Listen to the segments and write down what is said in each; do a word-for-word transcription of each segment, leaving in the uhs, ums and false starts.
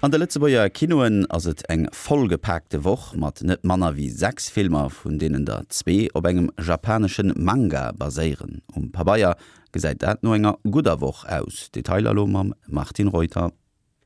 An de Lëtzebuerger Kinoen ass et eng vollgepaakte Woch mat net manner wéi sechs Filmer, vun deenen der zwee op engem japanesche Manga baséieren. Um Pabeier gesäit dat no enger gudder Woch aus. Detailer elo mam Martine Reuter.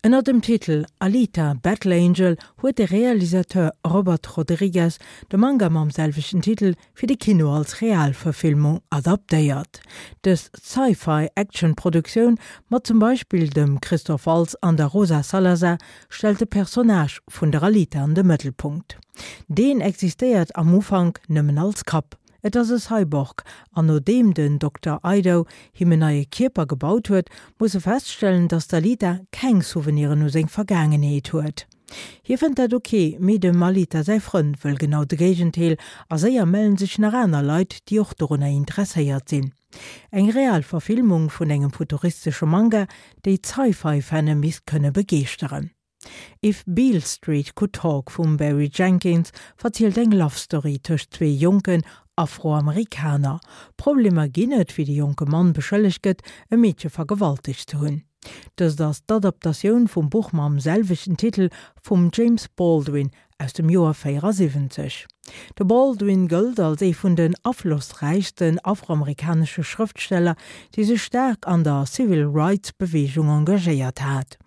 Ënner dem Titel Alita: Battle Angel huet de Realisateur Robert Rodriguez de Manga mam selwechten Titel fir de Kino als Realverfilmung adaptéiert. Dës Sci-Fi-Action-Produktioun mat zum Beispill dem Christoph Waltz an der Rosa Salazar stellt de Personnage vun der Alita an de Mëttelpunkt. Deen existéiert am Ufank nëmmen als Kapp. Et ass e Cyborg, an nodeem den Dokter Ido him en neie Kierper gebaut huet, muss e feststellen, datt d'Alita keng Souveniren u seng Vergaangenheet huet. Hie fënnt dat ok, mee dem Alita säi Frënd wëll genau de Géigendeel a séier mellen sech nach aner Leit, déi och dorunner interesséiert sinn. Eng real Verfilmung vun engem futuristesche Manga, déi d'Sci-Fi-Fanne misst kënne begeeschteren. If Beale Street Could Talk vum Barry Jenkins verzielt eng Love Story tëscht zwee jonken Afroamerikaner. Problemer ginn et, wéi de jonke Mann beschëllegt gëtt, e Meedche vergewaltegt ze hunn. Dëst ass d'Adaptatioun vum Buch mam selwechten Titel vum James Baldwin aus dem Joer véierasiwwenzeg. De Baldwin gëllt als ee vun den aflossräichsten afroamerikanesche Schrëftsteller, dee sech staark an der Civil Rights Beweegung engagéiert hat.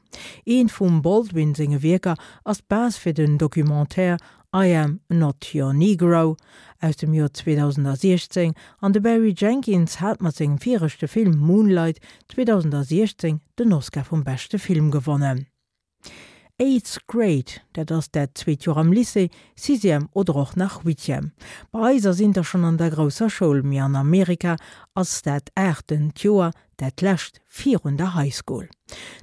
Eent vum Baldwin senge Wierker ass d'Base fir den Documentaire I Am Not Your Negro aus dem Joer zweedausentsiechzéng an de Barry Jenkins hat mat sengem viregte Film Moonlight zweedausentsiechzéng den Oscar vum beschte Film gewonnen. Eighth Grade, dat ass dat zweet Joer am Lycée, Sixième oder och nach Huitième. Bei eis ass een da schonn an der grousser Schoul, mee an Amerika ass dat aachten Joer dat lescht virun der High School.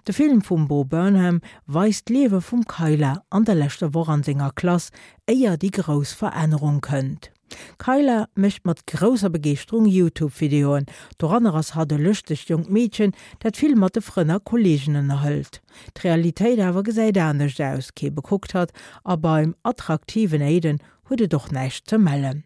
De Film vum Bo Burnham weist d'Liewe vum Kyla an der leschter Woch an senger Klass, éier déi grouss Verännerung kënnt. D'Kyla mécht mat grousser Begeeschterung YouTube-Videoen, doranner ass hatt e lëschtegt jonkt Meedchen, dat vill mat de Frënn a Kolleegen ënnerhëlt. D'Realitéit awer gesäit anescht aus, kee bekuckt hatt a beim attraktiven Aiden huet et och näischt ze mellen.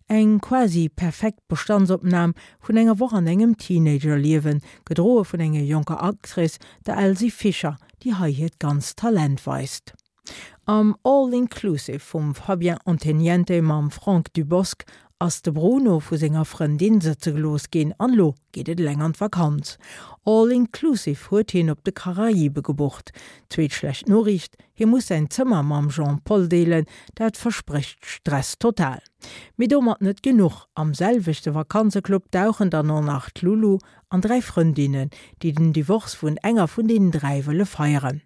Eng quasi perfekt Bestandsopnam vun enger Woch an engem Teenager-Liewen, gedroe vun enger jonker Actrice, der Elsie Fisher, déi hei hiert ganzt Talent weist. Am All Inclusive vum Fabien Onteniente mam Franck Dubosc ass de Bruno vu senger Frëndin sëtze gelooss ginn an lo geet et eleng an d'Vakanz. All Inclusive huet hien op de Karaibe gebucht. Zweet schlecht Noriicht, hie muss säin Zëmmer mam Jean-Paul deelen, dat versprécht Stress total. Mee domat net genuch, am selwechte Vakanzeclub dauchen dann och nach d'Lulu an dräi Frëndinnen, déi den Divorce vun enger vun deenen dräi wëlle feieren.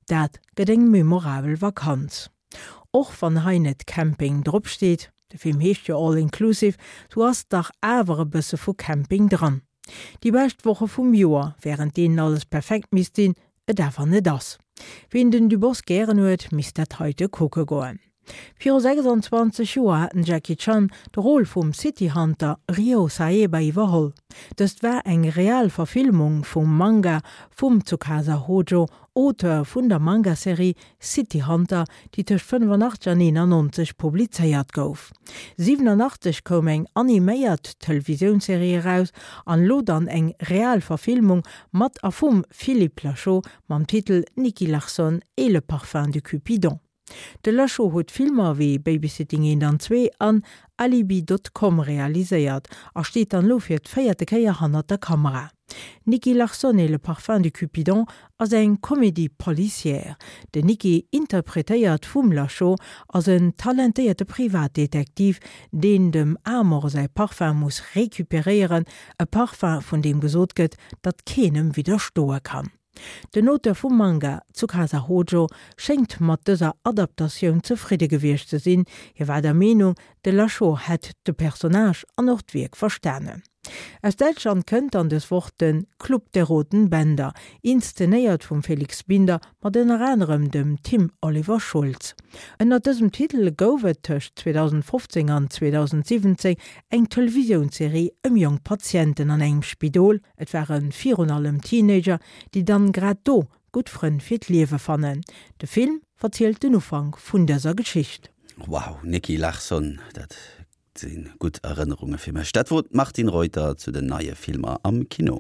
Dat gëtt eng memorabel Vakanz. Och wann hei net Camping drop steet, de Film heescht jo All Inclusive, sou ass dach awer e bësse vu Camping dran. Déi bescht Woche vum Joer, wärend deenen alles perfekt misst sinn, et awer net ass. Wien den Dubosc gären huet, misst dat heite kucke goen. Viru sechsanzwanzeg Joer hat den Jackie Chan de Rôle vum City Hunter Ryo Saeba iwwerholl. Dëst war eng real Verfilmung vum Manga vum Tsukasa Hojo, Auteur vun der Manga-Serie City Hunter, déi tëscht fënnefenachtzeg an eenannonzeg publizéiert gouf. Siwenanachtzeg koum eng animéiert Televisiounsserie eraus an elo dann eng real Verfilmung mat a vum Philippe Lacheau mam Titel Nicky Larson et le parfum de Cupidon. De Lacheau huet Filmer wéi Babysitting eent an zwee an Alibi dot com realiséiert a steet dann elo fir d'véierte Kéier hannert der Kamera. Nicky Larson et le parfum de Cupidon ass eng Comédie policière. Den Nicky, interpretéiert vum Lacheau, ass en talentéierte Privatdetektiv, deen dem Amor säi Parfum muss recuperéieren, e Parfum, vun deem gesot gëtt, datt keen em widderstoe kann. Den Auteur vum Manga, Tsukasa Hojo, schéngt mat dëser Adaptatioun zefridde gewiescht ze sinn, hie war der Meenung, de Lachaud hätt de Personnage an och d'Wierk verstanen. Aus Däitschland kënnt dann dës Woch de Club der roten Bänder, inszenéiert vum Felix Binder mat ënner anerem dem Tim Oliver Schulz. Ënner dësem Titel gouf et tëscht zweedausendfofzéng an zweedausendsiwwenzéng eng Televisiounsserie ëm jonk Patienten an engem Spidol, et ware virun allem Teenager, déi dann grad do gutt Frënn fir d'Liewe fannen. De Film verzielt den Ufank vun dëser Geschicht. Wow, Nicky Larson, dat si gutt Erënnerunge fir mech. Dat wor d'Martine Reuter zu den neie Filmer am Kino.